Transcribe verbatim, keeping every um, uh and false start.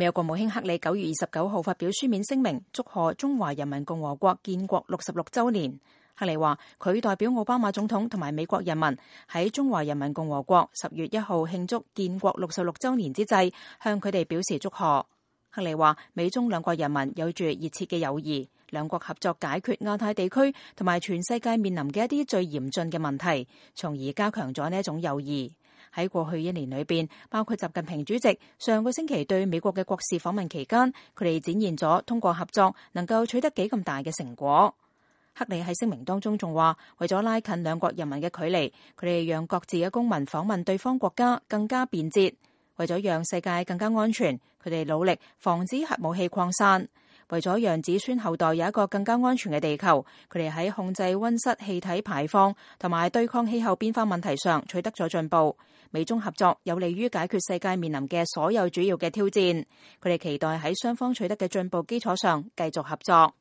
美國國務卿克里九月二十九號發表書面聲明，祝賀中華人民共和國建國六十六週年。克里話佢代表奧巴馬總統同埋美國人民喺中華人民共和國十月一號慶祝建國六十六週年之際，向佢哋表示祝賀。克里話美中兩國人民有住熱切嘅友誼，兩國合作解決亞太地區同埋全世界面臨嘅一啲最嚴峻嘅問題，從而加強咗呢一種友誼。喺過去一年裏邊，包括習近平主席上個星期對美國嘅國事訪問期間，佢哋展現咗通過合作能夠取得幾咁大嘅成果。克里喺聲明當中仲話，為咗拉近兩國人民嘅距離，佢哋讓各自嘅公民訪問對方國家更加便捷。為咗讓世界更加安全，佢哋努力防止核武器擴散。為咗讓子孫後代有一個更加安全嘅地球，佢哋喺控制溫室氣體排放同埋對抗氣候變化問題上取得咗進步。美中合作有利於解決世界面臨嘅所有主要嘅挑戰。佢哋期待喺雙方取得嘅進步基礎上繼續合作。